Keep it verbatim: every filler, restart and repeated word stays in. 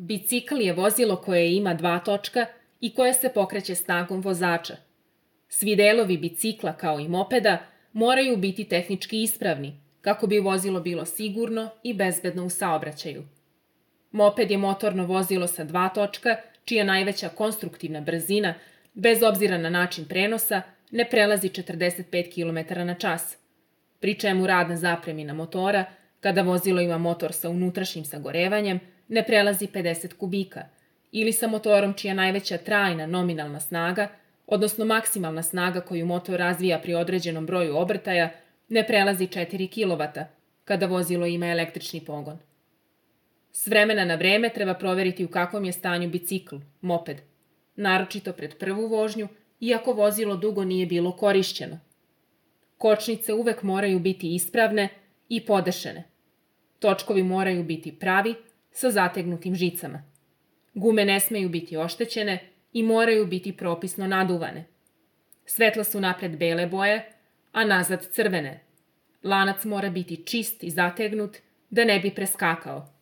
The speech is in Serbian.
Bicikl je vozilo koje ima dva točka i koje se pokreće snagom vozača. Svi delovi bicikla, kao i mopeda, moraju biti tehnički ispravni, kako bi vozilo bilo sigurno i bezbedno u saobraćaju. Moped je motorno vozilo sa dva točka, čija najveća konstruktivna brzina, bez obzira na način prenosa, ne prelazi četrdeset pet kilometara na čas, pri čemu rad na zapremina motora, kada vozilo ima motor sa unutrašnjim sagorevanjem, ne prelazi pedeset kubika, ili sa motorom čija najveća trajna nominalna snaga, odnosno maksimalna snaga koju motor razvija pri određenom broju obrtaja, ne prelazi četiri kilovata, kada vozilo ima električni pogon. S vremena na vreme treba proveriti u kakvom je stanju bicikl, moped, naročito pred prvu vožnju, iako vozilo dugo nije bilo korišćeno. Kočnice uvek moraju biti ispravne i podešene. Točkovi moraju biti pravi, sa zategnutim žicama. Gume ne smeju biti oštećene i moraju biti propisno naduvane. Svetla su napred bele boje, a nazad crvene. Lanac mora biti čist i zategnut, da ne bi preskakao.